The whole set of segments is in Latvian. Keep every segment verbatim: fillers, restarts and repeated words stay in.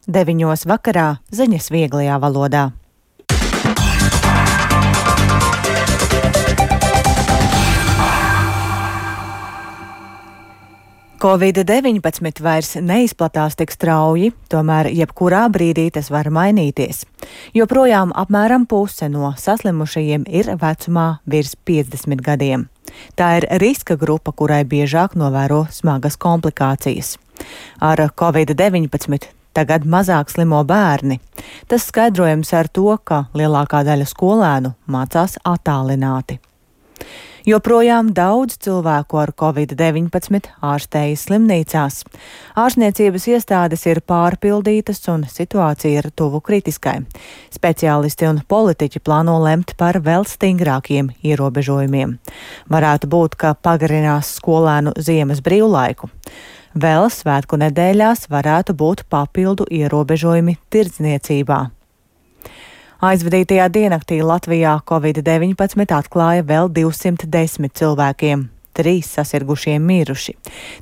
deviņos vakarā ziņas vieglajā valodā. covid deviņpadsmit vairs neizplatās tik strauji, tomēr jebkurā brīdī tas var mainīties. Joprojām apmēram puse no saslimušajiem ir vecumā virs piecdesmit gadiem. Tā ir riska grupa, kurai biežāk novēro smagas komplikācijas. Ar covid deviņpadsmit tagad mazāk slimo bērni. Tas skaidrojams ar to, ka lielākā daļa skolēnu mācās attālināti. Joprojām daudz cilvēku ar covid deviņpadsmit ārstējas slimnīcās. Ārstniecības iestādes ir pārpildītas un situācija ir tuvu kritiskai. Speciālisti un politiķi plāno lemt par vēl stingrākiem ierobežojumiem. Varētu būt, ka pagarinās skolēnu ziemas brīvlaiku. Vēl svētku nedēļās varētu būt papildu ierobežojumi tirdzniecībā. Aizvadītajā diennaktī Latvijā covid deviņpadsmit atklāja vēl divsimt desmit cilvēkiem, trīs sasirgušie miruši.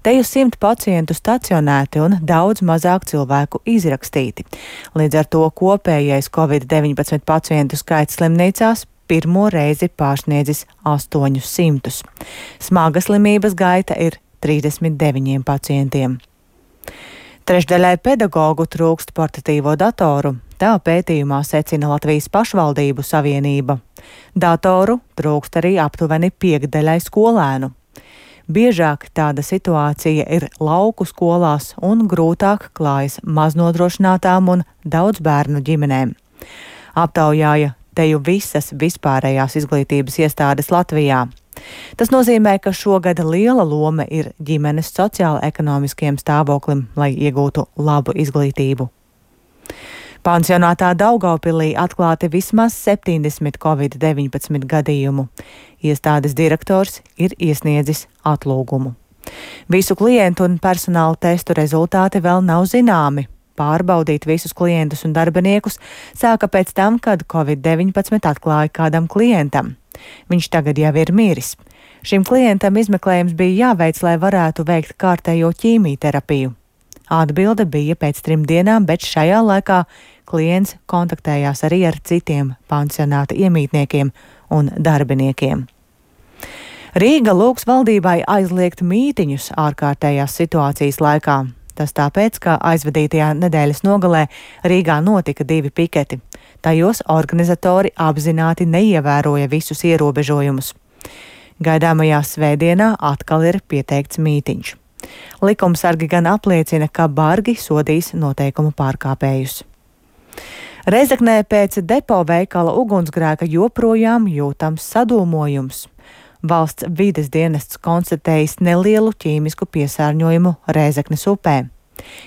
Te jau simt pacientu stacionēti un daudz mazāk cilvēku izrakstīti. Līdz ar to kopējais covid deviņpadsmit pacientu skaits slimnīcās pirmo reizi pārsniedzis astoņus simtus. Smaga slimības gaita ir trīsdesmit deviņiem pacientiem. Trešdaļai pedagogu trūkst portatīvo datoru. Tā pētījumā secina Latvijas pašvaldību savienība. Datoru trūkst arī aptuveni piekdaļai skolēnu. Biežāk tāda situācija ir lauku skolās un grūtāk klājas maznodrošinātām un daudz bērnu ģimenēm. Aptaujāja teju visas vispārējās izglītības iestādes Latvijā. Tas nozīmē, ka šogad liela loma ir ģimenes sociāla-ekonomiskiem stāvoklim, lai iegūtu labu izglītību. Pansionātā Daugavpilī atklāti vismaz septiņdesmit covid deviņpadsmit gadījumu. Iestādes direktors ir iesniedzis atlūgumu. Visu klientu un personāla testu rezultāti vēl nav zināmi. Pārbaudīt visus klientus un darbiniekus sāka pēc tam, kad covid deviņpadsmit atklāja kādam klientam. Viņš tagad jau ir miris. Šim klientam izmeklējums bija jāveic, lai varētu veikt kārtējo ķīmijterapiju. Atbilde bija pēc trim dienām, bet šajā laikā klients kontaktējās arī ar citiem pansionāta iemītniekiem un darbiniekiem. Rīga lūgs valdībai aizliegt mītiņus ārkārtējās situācijas laikā. Tas tāpēc, ka aizvadītajā nedēļas nogalē Rīgā notika divi piketi. Tajos organizatori apzināti neievēroja visus ierobežojumus. Gaidāmajā svētdienā atkal ir pieteikts mītiņš. Likumsargi gan apliecina, ka bargi sodīs noteikumu pārkāpējus. Rēzeknē pēc depo veikala ugunsgrēka joprojām jūtams sadūmojums. Valsts vides dienests konstatējis nelielu ķīmisku piesārņojumu Rēzeknes upē.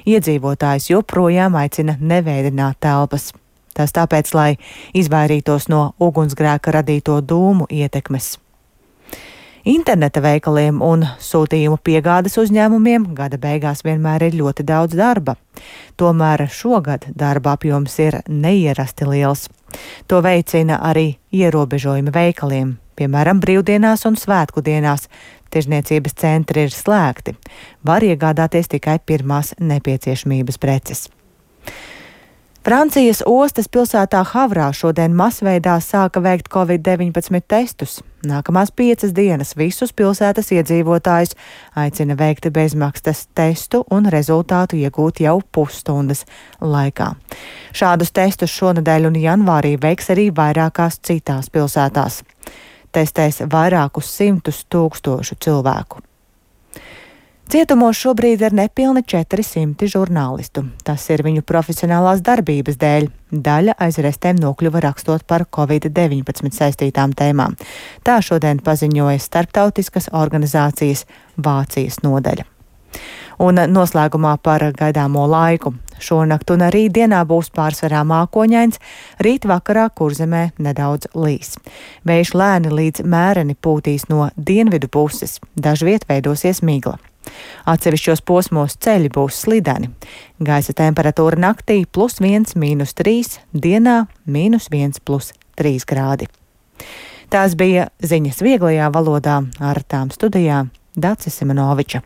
Iedzīvotājs joprojām aicina nevēdināt telpas. Tas tāpēc, lai izvairītos no ugunsgrēka radīto dūmu ietekmes. Interneta veikaliem un sūtījumu piegādes uzņēmumiem gada beigās vienmēr ir ļoti daudz darba. Tomēr šogad darba apjoms ir neierasti liels. To veicina arī ierobežojumi veikaliem. Piemēram, brīvdienās un svētku dienās tirzniecības centri ir slēgti. Var iegādāties tikai pirmās nepieciešamības preces. Francijas ostas pilsētā Havrā šodien masveidā sāka veikt covid deviņpadsmit testus. Nākamās piecas dienas visus pilsētas iedzīvotājus aicina veikt bezmaksas testu un rezultātu iegūt jau pusstundas laikā. Šādus testus šonedēļ un janvārī veiks arī vairākās citās pilsētās. Testēs vairākus simtus tūkstošu cilvēku. Cietumos šobrīd ir nepilni četri simti žurnālistu. Tas ir viņu profesionālās darbības dēļ. Daļa aiz restēm nokļuva rakstot par covid deviņpadsmit saistītām tēmām. Tā šodien paziņoja starptautiskas organizācijas Vācijas nodaļa. Un noslēgumā par gaidāmo laiku. Šonakt un arī dienā būs pārsvarā mākoņains, rīt vakarā Kurzemē nedaudz līs. Vējš lēni līdz mēreni pūtīs no dienvidu puses, dažviet veidosies migla. Atsevišķos posmos ceļi būs slideni. Gaisa temperatūra naktī plus viens, mīnus trīs, dienā mīnus viens, plus trīs grādi. Tās bija ziņas vieglajā valodā, ar tām studijā Dacis Simonoviča.